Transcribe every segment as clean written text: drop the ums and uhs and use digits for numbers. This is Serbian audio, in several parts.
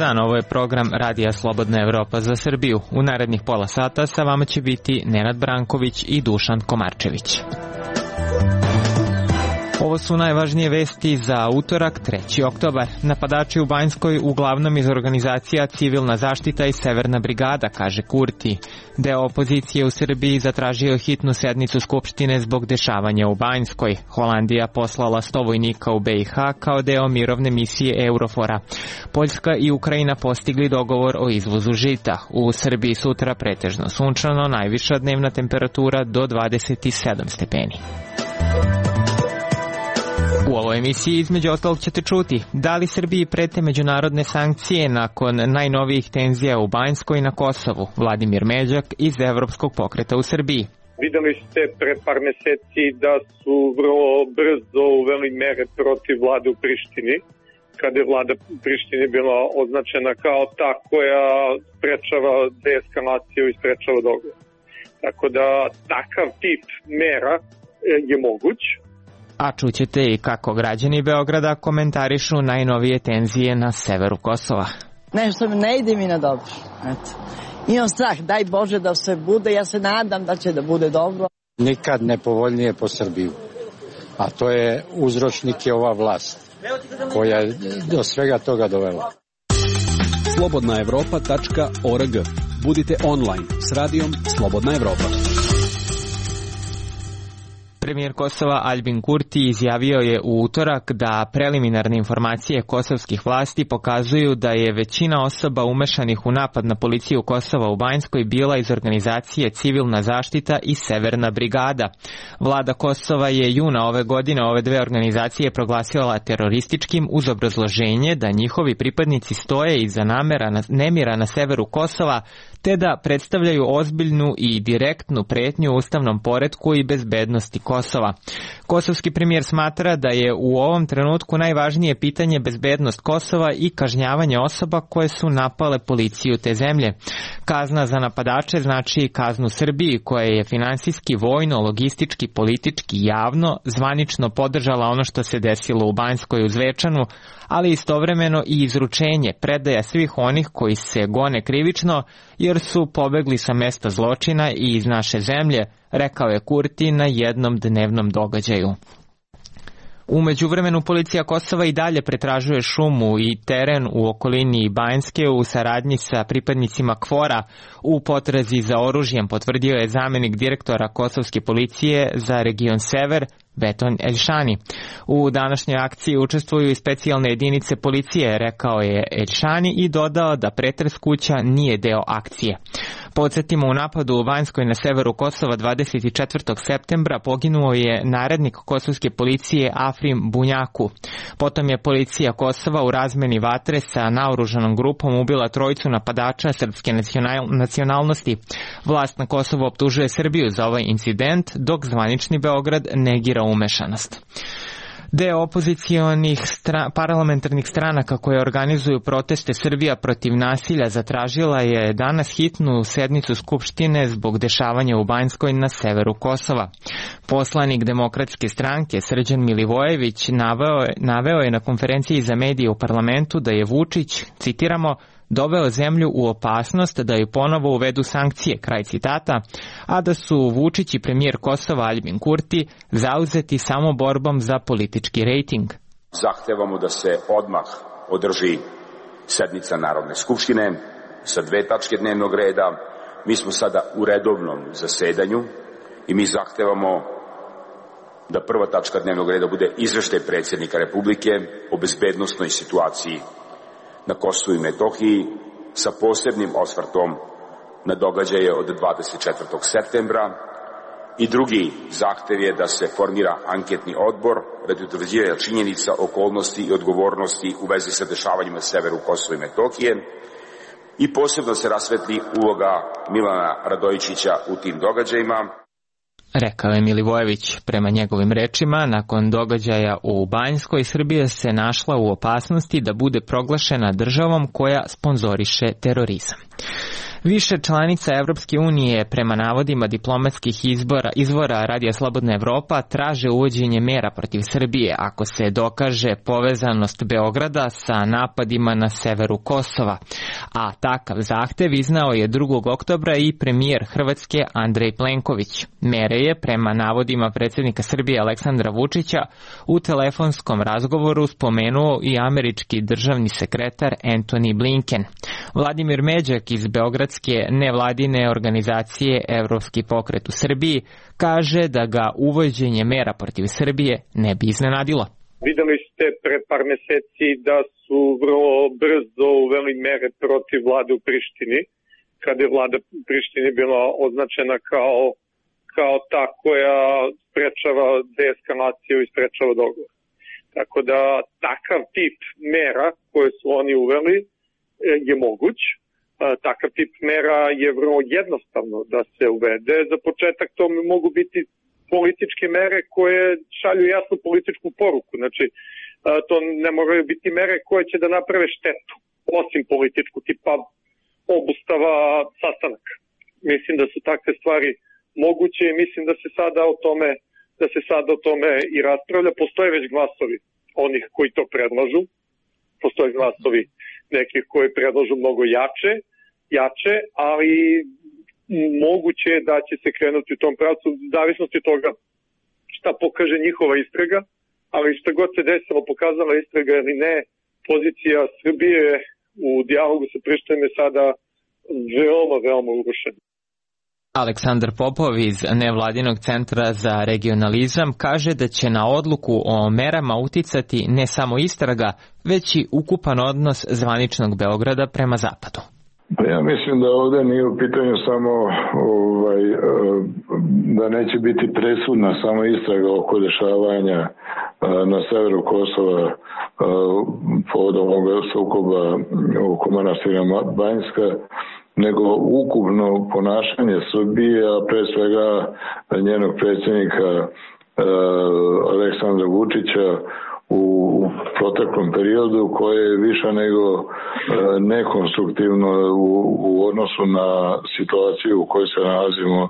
dan, ovo je program Radija Slobodna Evropa za Srbiju. U narednih pola sata sa vama će biti Nenad Branković i Dušan Komarčević. Ovo su najvažnije vesti za utorak, 3. oktobar. Napadači u Banjskoj uglavnom iz organizacija Civilna zaštita i Severna brigada, kaže Kurti. Deo opozicije u Srbiji zatražio hitnu sednicu Skupštine zbog dešavanja u Banjskoj. Holandija poslala 100 vojnika u BiH kao deo mirovne misije Eurofora. Poljska i Ukrajina postigli dogovor o izvozu žita. U Srbiji sutra pretežno sunčano, najviša dnevna temperatura do 27 stepeni. U ovoj emisiji između ostalog ćete čuti da li Srbiji prete međunarodne sankcije nakon najnovijih tenzija u Banjskoj i na Kosovu. Vladimir Međak iz Evropskog pokreta u Srbiji. Videli ste pre par meseci da su vrlo brzo uveli mere protiv vlade u Prištini, kada je vlada u Prištini bila označena kao ta koja sprečava deeskalaciju i sprečava dogovor. Tako da takav tip mera je moguć. A čućete i kako građani Beograda komentarišu najnovije tenzije na severu Kosova. Nešto ne ide mi na dobro. Imam strah, daj Bože da sve bude, ja se nadam da će da bude dobro. Nikad nepovoljnije po Srbiju, a to je uzročnik je ova vlast koja je do svega toga dovela. Slobodnaevropa.org. Budite online s radijom Slobodna Evropa. Premijer Kosova Aljbin Kurti izjavio je u utorak da preliminarne informacije kosovskih vlasti pokazuju da je većina osoba umešanih u napad na policiju Kosova u Banjskoj bila iz organizacije Civilna zaštita i Severna brigada. Vlada Kosova je juna ove godine ove dve organizacije proglasila terorističkim uz obrazloženje da njihovi pripadnici stoje iza nemira na severu Kosova, te da predstavljaju ozbiljnu i direktnu pretnju ustavnom poretku i bezbednosti Kosova. Kosovski premijer smatra da je u ovom trenutku najvažnije pitanje bezbednost Kosova i kažnjavanje osoba koje su napale policiju te zemlje. Kazna za napadače znači kaznu Srbiji koja je finansijski, vojno, logistički, politički, javno, zvanično podržala ono što se desilo u Banjskoj u Zvečanu, ali istovremeno i izručenje, predaja svih onih koji se gone krivično jer su pobegli sa mesta zločina i iz naše zemlje, rekao je Kurti na jednom dnevnom događaju. U međuvremenu policija Kosova i dalje pretražuje šumu i teren u okolini Banjske u saradnji sa pripadnicima KFOR-a u potrazi za oružjem, potvrdio je zamenik direktora kosovske policije za region Sever, Beton Elšani. U današnjoj akciji učestvuju i specijalne jedinice policije, rekao je Elšani i dodao da pretres kuća nije deo akcije. Podsjetimo, u napadu u Banjskoj na severu Kosova 24. septembra poginuo je narednik kosovske policije Afrim Bunjaku. Potom je policija Kosova u razmeni vatre sa naoružanom grupom ubila trojicu napadača srpske nacionalnosti. Vlast na Kosovu optužuje Srbiju za ovaj incident, dok zvanični Beograd negira umešanost. Deo opozicionih parlamentarnih stranaka koje organizuju proteste Srbija protiv nasilja zatražila je danas hitnu sednicu Skupštine zbog dešavanja u Banjskoj na severu Kosova. Poslanik Demokratske stranke Srđan Milivojević naveo je na konferenciji za medije u parlamentu da je Vučić, citiramo, doveo zemlju u opasnost da ju ponovo uvedu sankcije, kraj citata, a da su Vučić i premijer Kosova Aljbin Kurti zauzeti samo borbom za politički rejting. Zahtevamo da se odmah održi sednica Narodne skupštine sa 2 tačke dnevnog reda. Mi smo sada u redovnom zasedanju i mi zahtevamo da prva tačka dnevnog reda bude izveštaj predsjednika Republike o bezbednosnoj situaciji na Kosovu i Metohiji sa posebnim osvrtom na događaje od 24. septembra i drugi zahtev je da se formira anketni odbor radi utvrđivanja činjenica, okolnosti i odgovornosti u vezi sa dešavanjima na severu Kosova i Metohije i posebno se rasvetli uloga Milana Radojičića u tim događajima. Rekao je Milivojević. Prema njegovim rečima, nakon događaja u Banjskoj, Srbija se našla u opasnosti da bude proglašena državom koja sponzoriše terorizam. Više članica Evropske unije prema navodima diplomatskih izvora Radija Slobodna Evropa traže uvođenje mera protiv Srbije ako se dokaže povezanost Beograda sa napadima na severu Kosova. A takav zahtev iznao je 2. oktobra i premijer Hrvatske Andrej Plenković. Mere je, prema navodima predsjednika Srbije Aleksandra Vučića, u telefonskom razgovoru spomenuo i američki državni sekretar Antony Blinken. Vladimir Međak iz Beogradske nevladine organizacije Evropski pokret u Srbiji kaže da ga uvođenje mera protiv Srbije ne bi iznenadilo. Videli ste pre par meseci da su vrlo brzo uveli mere protiv vlade u Prištini, kada je vlada u Prištini bila označena kao ta koja sprečava deeskalaciju i sprečava dogovor. Tako da takav tip mera koje su oni uveli je moguć. Takav tip mera je vrlo jednostavno da se uvede. Za početak to mogu biti političke mere koje šalju jasnu političku poruku. Znači, to ne moraju biti mere koje će da naprave štetu, osim političku, tipa obustava sastanaka. Mislim da su takve stvari moguće i mislim da se sada o tome i raspravlja. Postoje već glasovi onih koji to predlažu. Postoje glasovi nekih koji predlažu mnogo jače, ali moguće je da će se krenuti u tom pravcu, u zavisnosti od toga šta pokaže njihova istraga, ali šta god se desilo, pokazala istraga ili ne, pozicija Srbije u dijalogu sa Prištinom je sada veoma urušena. Aleksandar Popov iz Nevladinog centra za regionalizam kaže da će na odluku o merama uticati ne samo istraga, već i ukupan odnos zvaničnog Beograda prema zapadu. Ja mislim da ovdje nije u pitanju samo da neće biti presudna samo istraga oko dešavanja na severu Kosova povodom ovoga sukoba oko manastira Banjska, nego ukupno ponašanje Srbije, a pre svega njenog predsjednika Aleksandra Vučića u proteklom periodu, koje je više nego nekonstruktivno u odnosu na situaciju u kojoj se nalazimo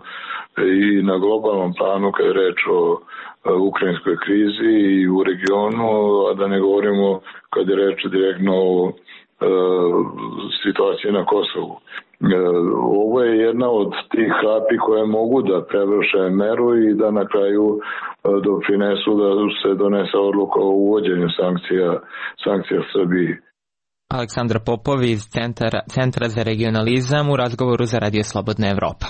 i na globalnom planu kad je reč o ukrajinskoj krizi i u regionu, a da ne govorimo kad je reč direktno o situaciji na Kosovu. Ovo je jedna od tih kapi koje mogu da prevrše meru i da na kraju doprinesu da se donese odluka o uvođenju sankcija Srbiji. Aleksandar Popov iz Centra za regionalizam u razgovoru za Radio Slobodna Evropa.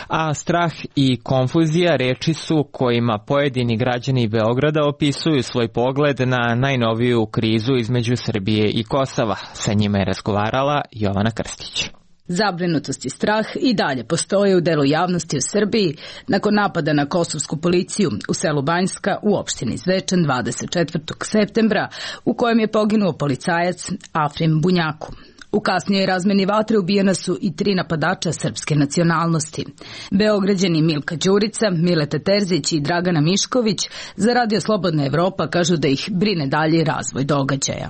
A strah i konfuzija reči su kojima pojedini građani Beograda opisuju svoj pogled na najnoviju krizu između Srbije i Kosova. Sa njima je razgovarala Jovana Krstić. Zabrinutost i strah i dalje postoje u delu javnosti u Srbiji nakon napada na kosovsku policiju u selu Banjska u opštini Zvečan 24. septembra, u kojem je poginuo policajac Afrim Bunjaku. U kasnijoj razmeni vatre ubijena su i 3 napadača srpske nacionalnosti. Beograđani Milka Đurica, Mileta Terzić i Dragana Mišković za Radio Slobodna Evropa kažu da ih brine dalji razvoj događaja.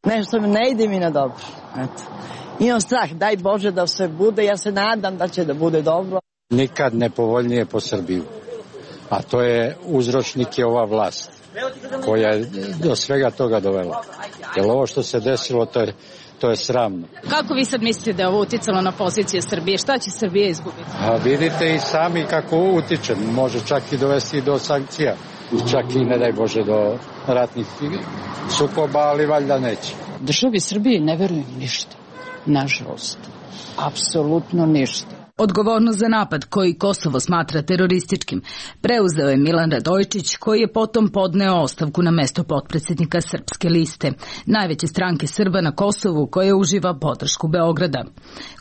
Nešto mi ne ide mi na dobro. Imam strah, daj Bože da sve bude, ja se nadam da će da bude dobro. Nikad nepovoljnije po Srbiju, a to je uzročnik je ova vlast koja je do svega toga dovela. Jer ovo što se desilo, to je sramno. Kako vi sad mislite da je ovo uticalo na pozicije Srbije? Šta će Srbija izgubiti? A vidite i sami kako ovo utiče. Može čak i dovesti do sankcija. Čak i ne daj Bože do ratnih sukoba, ali valjda neće. Državi Srbije ne verujem ništa. Nažalost, apsolutno ništa. Odgovornost za napad koji Kosovo smatra terorističkim preuzeo je Milan Radojčić, koji je potom podneo ostavku na mesto potpredsjednika Srpske liste, najveće stranke Srba na Kosovu koja uživa podršku Beograda.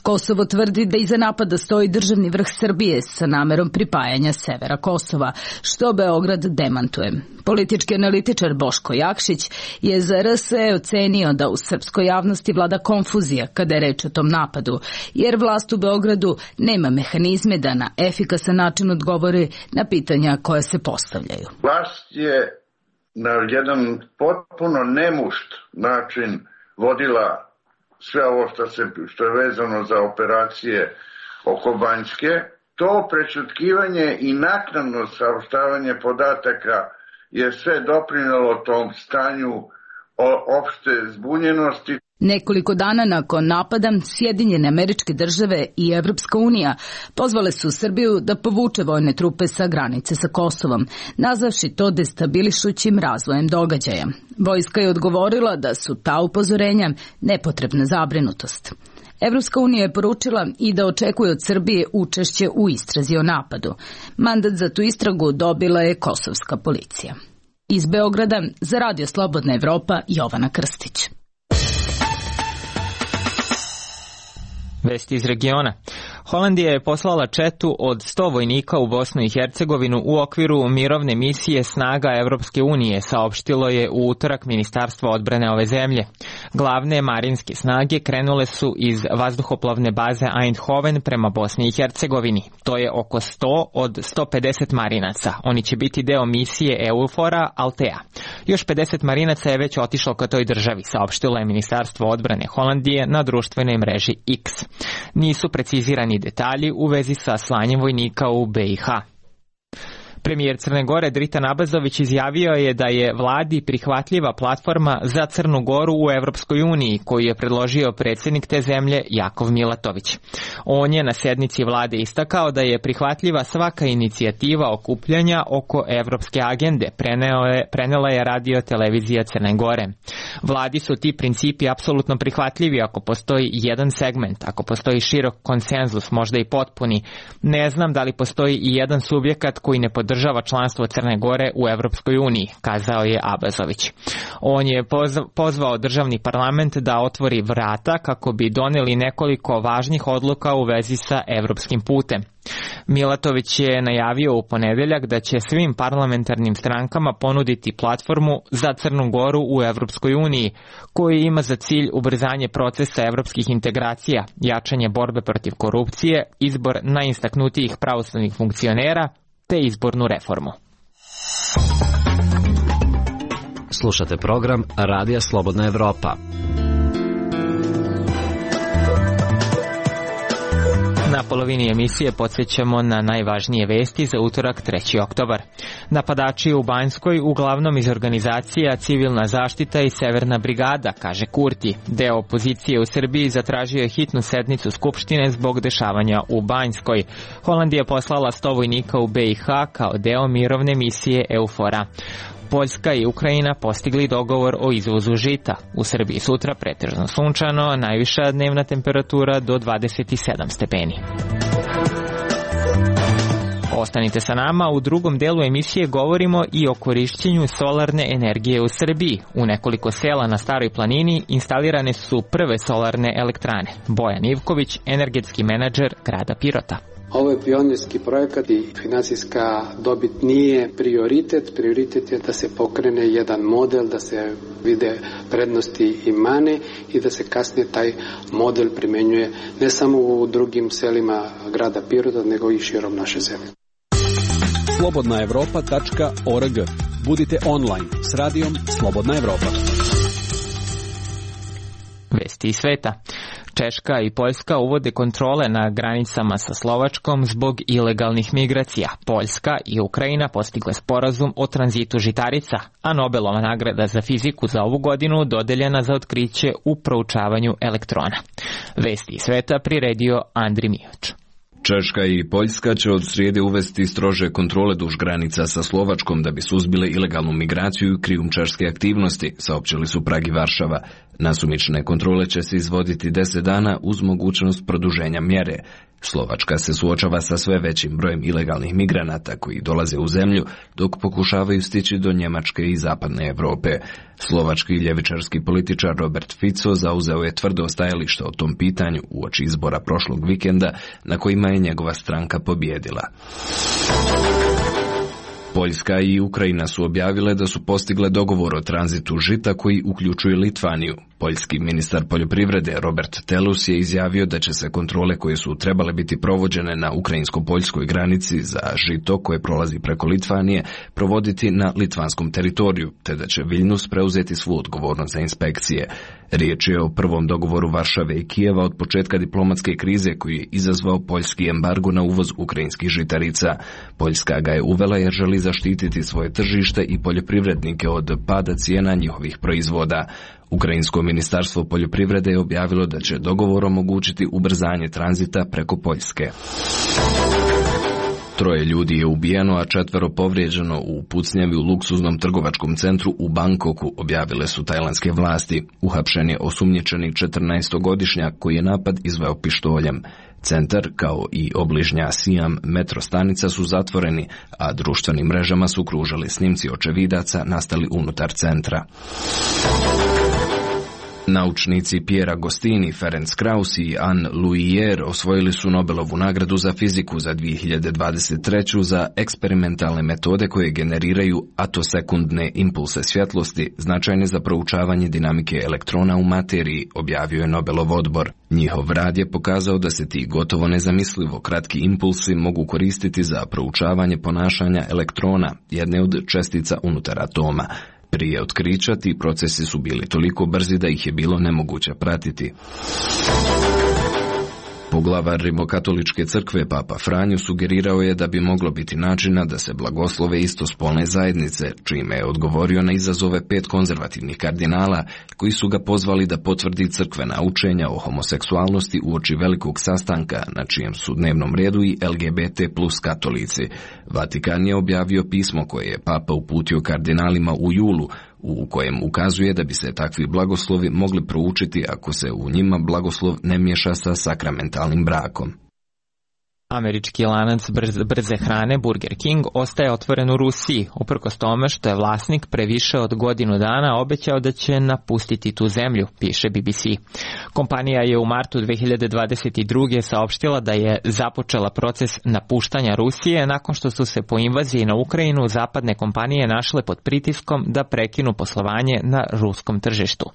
Kosovo tvrdi da iza napada stoji državni vrh Srbije sa namerom pripajanja severa Kosova, što Beograd demantuje. Politički analitičar Boško Jakšić je za RSE ocenio da u srpskoj javnosti vlada konfuzija kada je reč o tom napadu, jer vlast u Beogradu nema mehanizme da na efikasan način odgovori na pitanja koja se postavljaju. Vlast je na jedan potpuno nemušt način vodila sve ovo što je vezano za operacije oko Banjske, to prečutkivanje i naknadno saopštavanje podataka je sve doprinelo tom stanju opšte zbunjenosti. Nekoliko dana nakon napada, Sjedinjene Američke Države i Evropska unija pozvale su Srbiju da povuče vojne trupe sa granice sa Kosovom, nazavši to destabilišućim razvojem događaja. Vojska je odgovorila da su ta upozorenja nepotrebna zabrinutost. Evropska unija je poručila i da očekuje od Srbije učešće u istrazi o napadu. Mandat za tu istragu dobila je kosovska policija. Iz Beograda za Radio Slobodna Evropa, Jovana Krstić. Vesti iz regiona. Holandija je poslala četu od 100 vojnika u Bosnu i Hercegovinu u okviru mirovne misije snaga Evropske unije, saopštilo je u utorak Ministarstvo odbrane ove zemlje. Glavne marinske snage krenule su iz vazduhoplovne baze Eindhoven prema Bosni i Hercegovini. To je oko 100 od 150 marinaca. Oni će biti deo misije EUFOR-a Altea. Još 50 marinaca je već otišlo ka toj državi, saopštilo je Ministarstvo odbrane Holandije na društvenoj mreži X. Nisu precizirani detalji u vezi sa slanjem vojnika u BiH. Premijer Crne Gore Dritan Abazović izjavio je da je vladi prihvatljiva platforma za Crnu Goru u Evropskoj uniji, koju je predložio predsjednik te zemlje Jakov Milatović. On je na sednici vlade istakao da je prihvatljiva svaka inicijativa okupljanja oko evropske agende, prenela je radio televizija Crne Gore. Vladi su ti principi apsolutno prihvatljivi ako postoji jedan segment, ako postoji širok konsenzus, možda i potpuni. Ne znam da li postoji i jedan subjekat koji ne podržava članstvo Crne Gore u Evropskoj uniji, kazao je Abazović. On je pozvao državni parlament da otvori vrata kako bi doneli nekoliko važnih odluka u vezi sa evropskim putem. Milatović je najavio u ponedeljak da će svim parlamentarnim strankama ponuditi platformu za Crnu Goru u Evropskoj uniji, koji ima za cilj ubrzanje procesa evropskih integracija, jačanje borbe protiv korupcije, izbor najistaknutijih pravosudnih funkcionera te izbornu reformu. Slušate program Radija Slobodna Evropa. Na polovini emisije podsjećamo na najvažnije vesti za utorak 3. oktobar. Napadači u Banjskoj uglavnom iz organizacija Civilna zaštita i Severna brigada, kaže Kurti. Deo opozicije u Srbiji zatražio je hitnu sednicu Skupštine zbog dešavanja u Banjskoj. Holandija je poslala 100 vojnika u BiH kao deo mirovne misije EUFOR-a. Poljska i Ukrajina postigli dogovor o izvozu žita. U Srbiji sutra pretežno sunčano, najviša dnevna temperatura do 27 stepeni. Ostanite sa nama, u drugom delu emisije govorimo i o korišćenju solarne energije u Srbiji. U nekoliko sela na Staroj planini instalirane su prve solarne elektrane. Bojan Ivković, energetski menadžer grada Pirota. Ovo je pionirski projekat i finansijska dobit nije prioritet. Prioritet je da se pokrene jedan model, da se vide prednosti i mane i da se kasnije taj model primenjuje ne samo u drugim selima grada Pirota, nego i širom naše zemlje. slobodnaevropa.org. Budite online s radijom Slobodna Evropa. Vesti iz sveta. Češka i Poljska uvode kontrole na granicama sa Slovačkom zbog ilegalnih migracija. Poljska i Ukrajina postigle sporazum o tranzitu žitarica, a Nobelova nagrada za fiziku za ovu godinu dodeljena za otkriće u proučavanju elektrona. Vesti iz sveta priredio Andri Mijoč. Češka i Poljska će od srijede uvesti strože kontrole duž granica sa Slovačkom da bi suzbile ilegalnu migraciju i krijumčarske aktivnosti, saopćili su Prag i Varšava. Nasumične kontrole će se izvoditi 10 dana uz mogućnost produženja mjere. Slovačka se suočava sa sve većim brojem ilegalnih migranata koji dolaze u zemlju dok pokušavaju stići do Njemačke i zapadne Evrope. Slovački ljevičarski političar Robert Fico zauzeo je tvrdo stajalište o tom pitanju uoči izbora prošlog vikenda na kojima je njegova stranka pobijedila. Poljska i Ukrajina su objavile da su postigle dogovor o tranzitu žita koji uključuje Litvaniju. Poljski ministar poljoprivrede Robert Telus je izjavio da će se kontrole koje su trebale biti provođene na ukrajinsko-poljskoj granici za žito koje prolazi preko Litvanije provoditi na litvanskom teritoriju, te da će Viljnus preuzeti svu odgovornost za inspekcije. Riječ je o prvom dogovoru Varšave i Kijeva od početka diplomatske krize koji je izazvao poljski embargo na uvoz ukrajinskih žitarica. Poljska ga je uvela jer želi zaštititi svoje tržište i poljoprivrednike od pada cijena njihovih proizvoda. Ukrajinsko ministarstvo poljoprivrede je objavilo da će dogovor omogućiti ubrzanje tranzita preko Poljske. 3 ljudi je ubijeno, a 4 povrijeđeno u pucnjavi u luksuznom trgovačkom centru u Bangkoku, objavile su tajlandske vlasti. Uhapšen je osumnjičeni 14-godišnjak koji je napad izveo pištoljem. Centar, kao i obližnja Siam metro stanica su zatvoreni, a društvenim mrežama su kružali snimci očevidaca nastali unutar centra. Naučnici Piera Agostini, Ferenc Krauss i Anne Luijer osvojili su Nobelovu nagradu za fiziku za 2023. za eksperimentalne metode koje generiraju atosekundne impulse svjetlosti, značajne za proučavanje dinamike elektrona u materiji, objavio je Nobelov odbor. Njihov rad je pokazao da se ti gotovo nezamislivo kratki impulsi mogu koristiti za proučavanje ponašanja elektrona, jedne od čestica unutar atoma. Prije otkrića ti procesi su bili toliko brzi da ih je bilo nemoguće pratiti. Poglavar Rimokatoličke crkve Papa Franjo sugerirao je da bi moglo biti načina da se blagoslove istospolne zajednice, čime je odgovorio na izazove 5 konzervativnih kardinala koji su ga pozvali da potvrdi crkvena učenja o homoseksualnosti uoči velikog sastanka na čijem su dnevnom redu i LGBT plus katolici. Vatikan je objavio pismo koje je Papa uputio kardinalima u julu, u kojem ukazuje da bi se takvi blagoslovi mogli proučiti ako se u njima blagoslov ne miješa sa sakramentalnim brakom. Američki lanac brze hrane Burger King ostaje otvoren u Rusiji, uprkos tome što je vlasnik pre više od godinu dana obećao da će napustiti tu zemlju, piše BBC. Kompanija je u martu 2022. saopštila da je započela proces napuštanja Rusije nakon što su se po invaziji na Ukrajinu zapadne kompanije našle pod pritiskom da prekinu poslovanje na ruskom tržištu.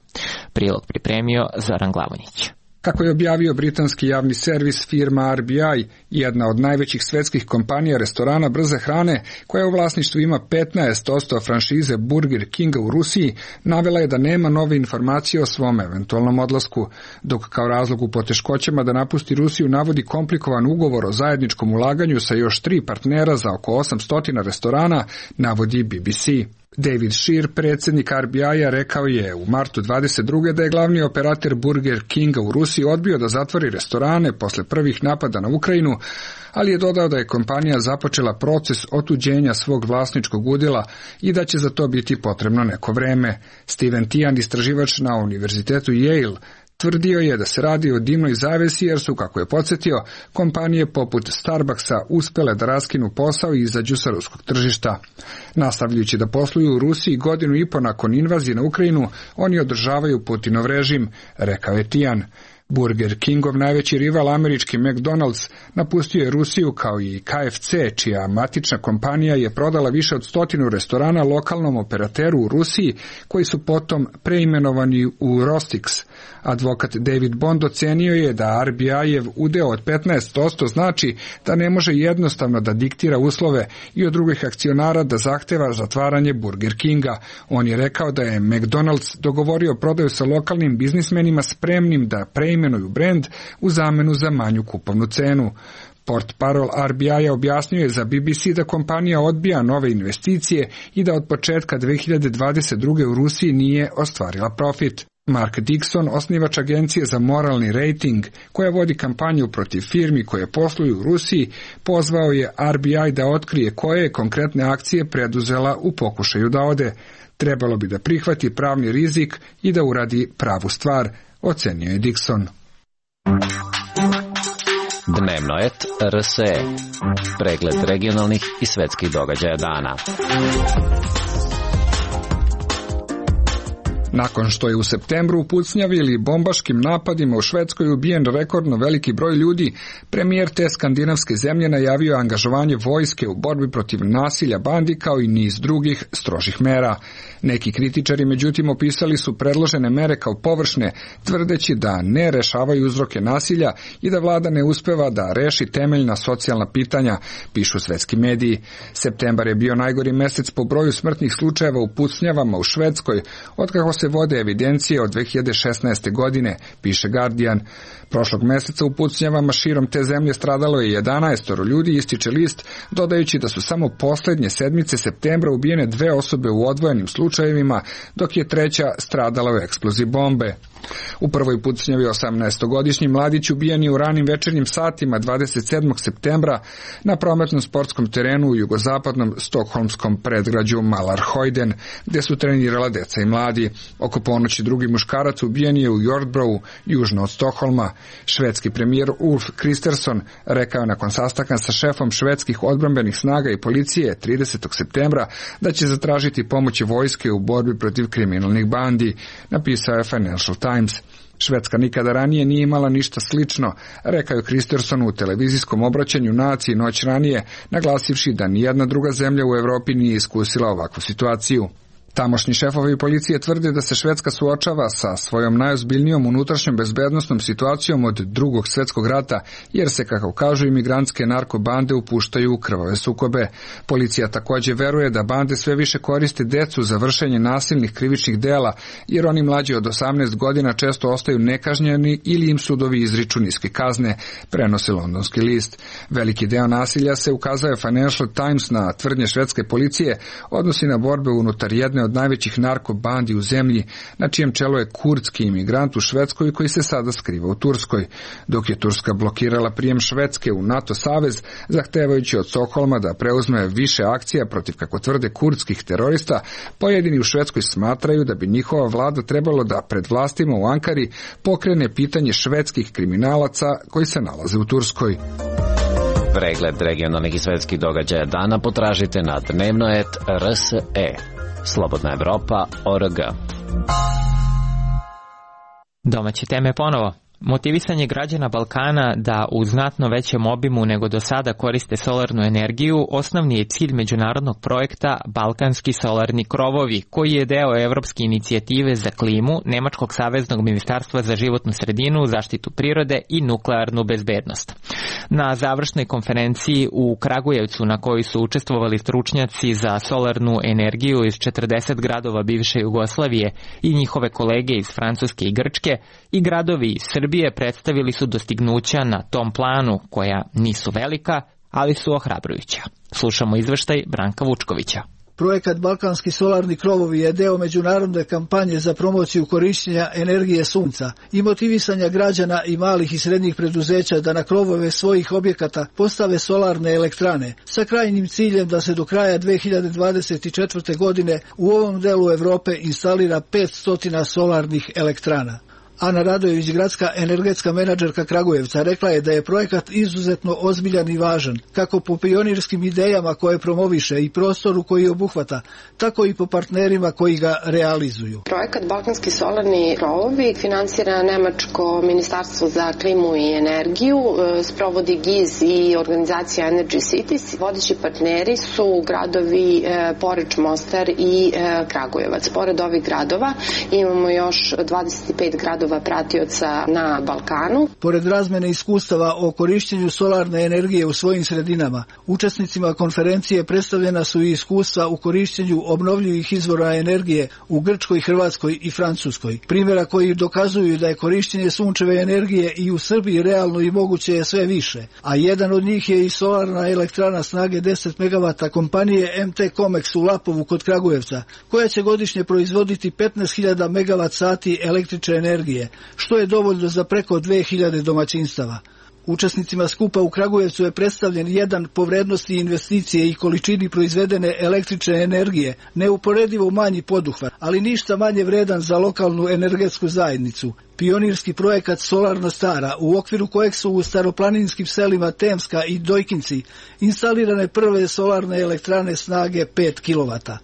Prilog pripremio Zoran Glavonjić. Kako je objavio britanski javni servis, firma RBI, jedna od najvećih svetskih kompanija restorana brze hrane, koja u vlasništvu ima 15% franšize Burger Kinga u Rusiji, navela je da nema nove informacije o svom eventualnom odlasku, dok kao razlog u poteškoćama da napusti Rusiju navodi komplikovan ugovor o zajedničkom ulaganju sa još 3 partnera za oko 800 restorana, navodi BBC. David Shear, predsjednik RBI-a, rekao je u martu 22. da je glavni operator Burger Kinga u Rusiji odbio da zatvori restorane posle prvih napada na Ukrajinu, ali je dodao da je kompanija započela proces otuđenja svog vlasničkog udjela i da će za to biti potrebno neko vreme. Steven Tian, istraživač na univerzitetu Yale, tvrdio je da se radi o dimnoj zavesi jer su, kako je podsjetio, kompanije poput Starbucksa uspjele da raskinu posao i izađu sa ruskog tržišta. Nastavljajući da posluju u Rusiji godinu i po nakon invazije na Ukrajinu, oni održavaju Putinov režim, rekao je Tian. Burger Kingov najveći rival američki McDonald's napustio je Rusiju kao i KFC, čija matična kompanija je prodala više od 100 restorana lokalnom operateru u Rusiji, koji su potom preimenovani u Rostix. Advokat David Bond ocenio je da RBI-jev udeo od 15% znači da ne može jednostavno da diktira uslove i od drugih akcionara da zahteva zatvaranje Burger Kinga. On je rekao da je McDonald's dogovorio prodaju sa lokalnim biznismenima spremnim da preimenuju brend u zamenu za manju kupovnu cenu. Portparol RBI-a objasnio je za BBC da kompanija odbija nove investicije i da od početka 2022. u Rusiji nije ostvarila profit. Mark Dixon, osnivač agencije za moralni rating, koja vodi kampanju protiv firmi koje posluju u Rusiji, pozvao je RBI da otkrije koje je konkretne akcije preduzela u pokušaju da ode. Trebalo bi da prihvati pravni rizik i da uradi pravu stvar, ocenio je Dixon. Dnevnoet RSE. Pregled regionalnih i svetskih događaja dana. Nakon što je u septembru u pucnjavi ili bombaškim napadima u Švedskoj ubijen rekordno veliki broj ljudi, premijer te skandinavske zemlje najavio angažovanje vojske u borbi protiv nasilja bandi kao i niz drugih strožih mera. Neki kritičari međutim opisali su predložene mere kao površne, tvrdeći da ne rešavaju uzroke nasilja i da vlada ne uspeva da reši temeljna socijalna pitanja, pišu svetski mediji. Septembar je bio najgori mesec po broju smrtnih slučajeva u pucnjavama u Švedskoj, otkako se vode evidencije od 2016. godine, piše Guardian. Prošlog meseca u pucnjavama širom te zemlje stradalo je 11 ljudi, ističe list, dodajući da su samo poslednje sedmice septembra ubijene 2 osobe u odvojenim slučajevima, dok je 3. stradala u eksploziji bombe. U prvoj pucnjavi 18-godišnji mladić ubijen je u ranim večernjim satima 27. septembra na prometnom sportskom terenu u jugozapadnom stokholmskom predgrađu Malarhojden, gde su trenirala deca i mladi. Oko ponoći drugi muškarac ubijen je u Jordbrovu, južno od Stokholma. Švedski premijer Ulf Kristersson rekao je nakon sastanka sa šefom švedskih odbrambenih snaga i policije 30. septembra da će zatražiti pomoć vojske u borbi protiv kriminalnih bandi, napisao je Financial Times. Švedska nikada ranije nije imala ništa slično, rekao je Kristersson u televizijskom obraćanju naciji noć ranije, naglasivši da nijedna druga zemlja u Evropi nije iskusila ovakvu situaciju. Tamošnji šefovi policije tvrde da se Švedska suočava sa svojom najozbiljnijom unutrašnjom bezbednosnom situacijom od Drugog svjetskog rata, jer se, kako kažu, imigrantske narkobande upuštaju u krvave sukobe. Policija također veruje da bande sve više koriste decu za vršenje nasilnih krivičnih dela, jer oni mlađi od 18 godina često ostaju nekažnjeni ili im sudovi izriču niske kazne, prenosi londonski list. Veliki deo nasilja, se ukazao je Financial Times na tvrdnje švedske policije, odnosi na borbe unutar jedne od najvećih narkobandi u zemlji, na čijem čelu je kurdski imigrant u Švedskoj koji se sada skriva u Turskoj. Dok je Turska blokirala prijem Švedske u NATO savez, zahtevajući od Stokholma da preuzme više akcija protiv, kako tvrde, kurdskih terorista, pojedini u Švedskoj smatraju da bi njihova vlada trebalo da pred vlastima u Ankari pokrene pitanje švedskih kriminalaca koji se nalaze u Turskoj. Pregled regionalnih i svetskih događaja dana potražite na dnevnoet.rse. Slobodna Evropa.org. Domaće teme ponovo. Motivisanje građana Balkana da u znatno većem obimu nego do sada koriste solarnu energiju osnovni je cilj međunarodnog projekta Balkanski solarni krovovi, koji je deo Evropske inicijative za klimu, Nemačkog saveznog ministarstva za životnu sredinu, zaštitu prirode i nuklearnu bezbednost. Na završnoj konferenciji u Kragujevcu, na kojoj su učestvovali stručnjaci za solarnu energiju iz 40 gradova bivše Jugoslavije i njihove kolege iz Francuske i Grčke, i gradovi iz Srbije predstavili su dostignuća na tom planu, koja nisu velika, ali su ohrabrujuća. Slušamo izveštaj Branka Vučkovića. Projekat Balkanski solarni krovovi je deo međunarodne kampanje za promociju korišćenja energije sunca i motivisanja građana i malih i srednjih preduzeća da na krovove svojih objekata postave solarne elektrane, sa krajnjim ciljem da se do kraja 2024. godine u ovom delu Evrope instalira 500 solarnih elektrana. Ana Radojević, gradska energetska menadžerka Kragujevca, rekla je da je projekat izuzetno ozbiljan i važan, kako po pionirskim idejama koje promoviše i prostoru koji obuhvata, tako i po partnerima koji ga realizuju. Projekat Balkanski solarni krovovi finansira Nemačko ministarstvo za klimu i energiju, sprovodi GIZ i organizacija Energy Cities. Vodeći partneri su gradovi Poreč, Mostar i Kragujevac. Pored ovih gradova imamo još 25 gradova pratioca na Balkanu. Pored razmene iskustava o korišćenju solarne energije u svojim sredinama, učesnicima konferencije predstavljena su i iskustva u korišćenju obnovljivih izvora energije u Grčkoj, Hrvatskoj i Francuskoj. Primjera koji dokazuju da je korišćenje sunčeve energije i u Srbiji realno i moguće je sve više, a jedan od njih je i solarna elektrana snage 10 MW kompanije MT Comex u Lapovu kod Kragujevca, koja će godišnje proizvoditi 15.000 MWh električne energije, što je dovoljno za preko 2000 domaćinstava. Učesnicima skupa u Kragujevcu je predstavljen jedan po vrednosti investicije i količini proizvedene električne energije, neuporedivo manji poduhvat, ali ništa manje vredan za lokalnu energetsku zajednicu. Pionirski projekat Solarna Stara, u okviru kojeg su u staroplaninskim selima Temska i Dojkinci instalirane prve solarne elektrane snage 5 kW.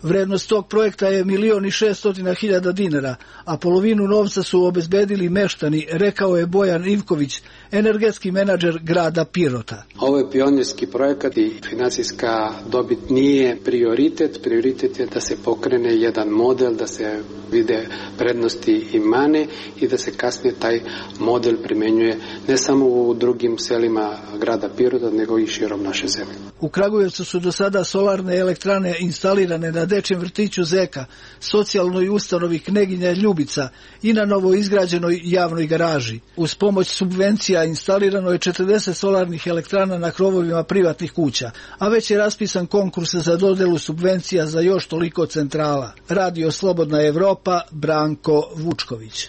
Vrednost tog projekta je 1.600.000 dinara, a polovinu novca su obezbedili meštani, rekao je Bojan Ivković, energetski menadžer grada Pirota. Ovo je pionirski projekat i financijska dobit nije prioritet. Prioritet je da se pokrene jedan model, da se vide prednosti i mane i da se kasnije taj model primenjuje ne samo u drugim selima grada Pirota, nego i širom naše zemlje. U Kragujevcu su do sada solarne elektrane instalirane na dečjem vrtiću Zeka, socijalnoj ustanovi Kneginja Ljubica i na novo izgrađenoj javnoj garaži. Uz pomoć subvencija instalirano je 40 solarnih elektrana na krovovima privatnih kuća, a već je raspisan konkurs za dodelu subvencija za još toliko centrala. Radio Slobodna Evropa, Branko Vučković.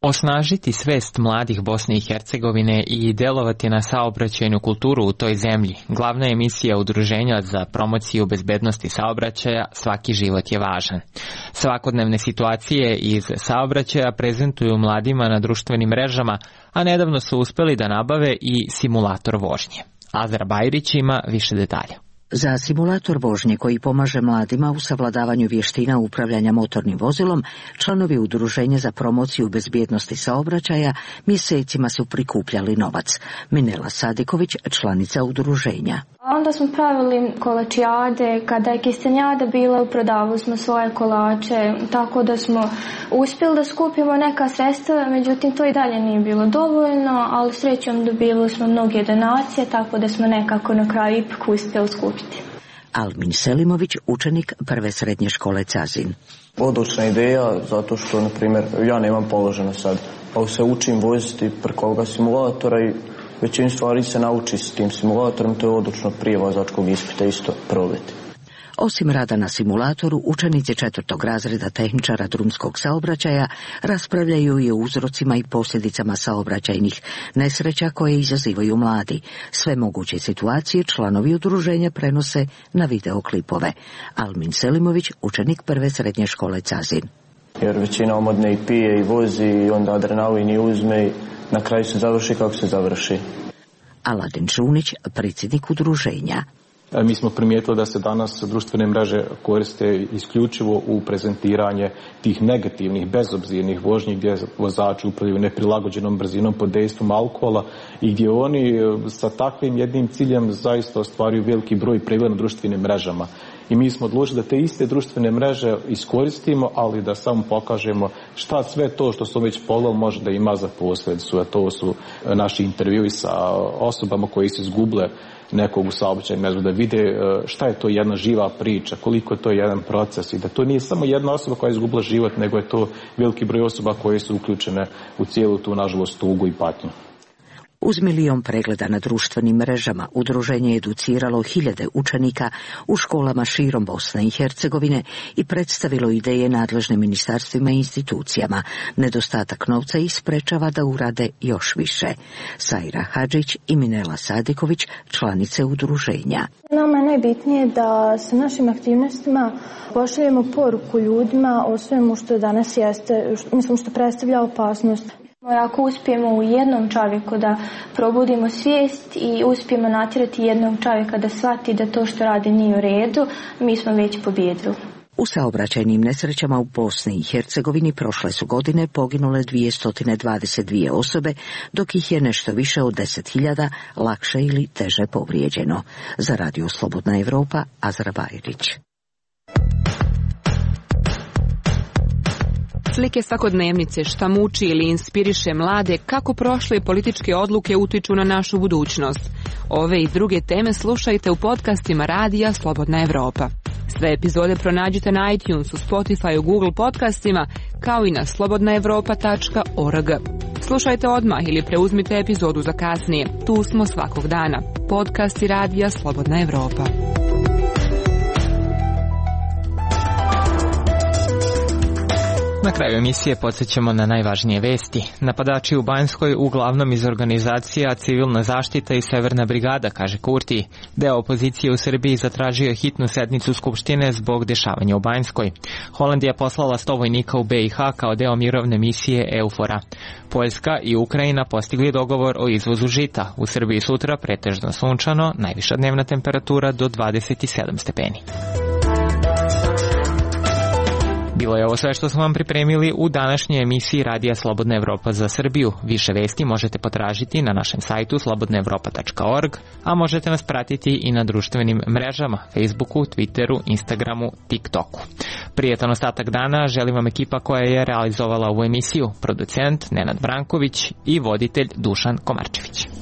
Osnažiti svest mladih Bosne i Hercegovine i delovati na saobraćajnu kulturu u toj zemlji. Glavna je misija Udruženja za promociju bezbednosti saobraćaja Svaki život je važan. Svakodnevne situacije iz saobraćaja prezentuju mladima na društvenim mrežama, a nedavno su uspeli da nabave i simulator vožnje. Azra Bajrić ima više detalja. Za simulator vožnje koji pomaže mladima u savladavanju vještina upravljanja motornim vozilom, članovi Udruženja za promociju bezbjednosti saobraćaja mjesecima su prikupljali novac. Minela Sadiković, članica udruženja. Onda smo pravili kolačijade, kada je kistanjada bila, prodavali smo svoje kolače, tako da smo uspjeli da skupimo neka sredstva, međutim to i dalje nije bilo dovoljno, ali srećom dobili smo mnoge donacije, tako da smo nekako na kraju ipak uspjeli skupiti. Almin Selimović, učenik prve srednje škole Cazin. Odlična ideja, zato što, na primjer, ja nemam položeno sad, pa se učim voziti preko ovoga simulatora i većinu stvari se nauči s tim simulatorom, to je odlično prije vozačkog ispita isto probati. Osim rada na simulatoru, učenici 4. razreda tehničara drumskog saobraćaja raspravljaju i o uzrocima i posljedicama saobraćajnih nesreća koje izazivaju mladi. Sve moguće situacije članovi udruženja prenose na videoklipove. Almin Selimović, učenik prve srednje škole Cazin. Jer većina omladne i pije i vozi i onda adrenalin i uzme i na kraju se završi kako se završi. Aladin Čunić, predsjednik udruženja. Mi smo primijetili da se danas društvene mreže koriste isključivo u prezentiranje tih negativnih, bezobzirnih vožnji gdje vozači upravljaju neprilagođenom brzinom pod dejstvom alkohola i gdje oni sa takvim jednim ciljem zaista ostvaruju veliki broj pregleda na društvenim mrežama. I mi smo odlučili da te iste društvene mreže iskoristimo, ali da samo pokažemo šta sve to što smo već pogledali može da ima za posljedicu. A to su naši intervjui sa osobama koji su izgubile nekog u saobraćajnom mrežu, da vide šta je to jedna živa priča, koliko je to jedan proces i da to nije samo jedna osoba koja je izgubila život, nego je to veliki broj osoba koje su uključene u cijelu tu, nažalost, tugu i patnju. Uz 1 milion pregleda na društvenim mrežama, udruženje je educiralo 1000 učenika u školama širom Bosne i Hercegovine i predstavilo ideje nadležnim ministarstvima i institucijama. Nedostatak novca ih sprečava da urade još više. Sajra Hadžić i Minela Sadiković, članice udruženja. Nama je najbitnije da sa našim aktivnostima pošaljemo poruku ljudima o svemu što danas jeste, mislim što predstavlja opasnost. Ako uspijemo u jednom čovjeku da probudimo svijest i uspijemo natjerati jednog čovjeka da shvati da to što radi nije u redu, mi smo već pobijedili. U saobraćajnim nesrećama u Bosni i Hercegovini prošle su godine poginule 222 osobe, dok ih je nešto više od 10.000 lakše ili teže povrijeđeno. Za Radio Slobodna Evropa, Azra Bajrić. Slike svakodnevnice, šta muči ili inspiriše mlade, kako prošle političke odluke utiču na našu budućnost. Ove i druge teme slušajte u podcastima Radija Slobodna Evropa. Sve epizode pronađite na iTunesu, Spotifyu, Google podcastima, kao i na slobodnaevropa.org. Slušajte odmah ili preuzmite epizodu za kasnije. Tu smo svakog dana. Podcasti Radija Slobodna Evropa. Na kraju emisije podsjećamo na najvažnije vesti. Napadači u Banjskoj uglavnom iz organizacija Civilna zaštita i Severna brigada, kaže Kurti. Deo opozicije u Srbiji zatražio je hitnu sednicu Skupštine zbog dešavanja u Banjskoj. Holandija poslala 100 vojnika u BiH kao deo mirovne misije EUFOR-a. Poljska i Ukrajina postigli dogovor o izvozu žita. U Srbiji sutra pretežno sunčano, najviša dnevna temperatura do 27 stepeni. Bilo je ovo sve što smo vam pripremili u današnjoj emisiji Radija Slobodna Evropa za Srbiju. Više vesti možete potražiti na našem sajtu slobodnaevropa.org, a možete nas pratiti i na društvenim mrežama, Facebooku, Twitteru, Instagramu, TikToku. Prijetan ostatak dana želim vam ekipa koja je realizovala ovu emisiju, producent Nenad Branković i voditelj Dušan Komarčević.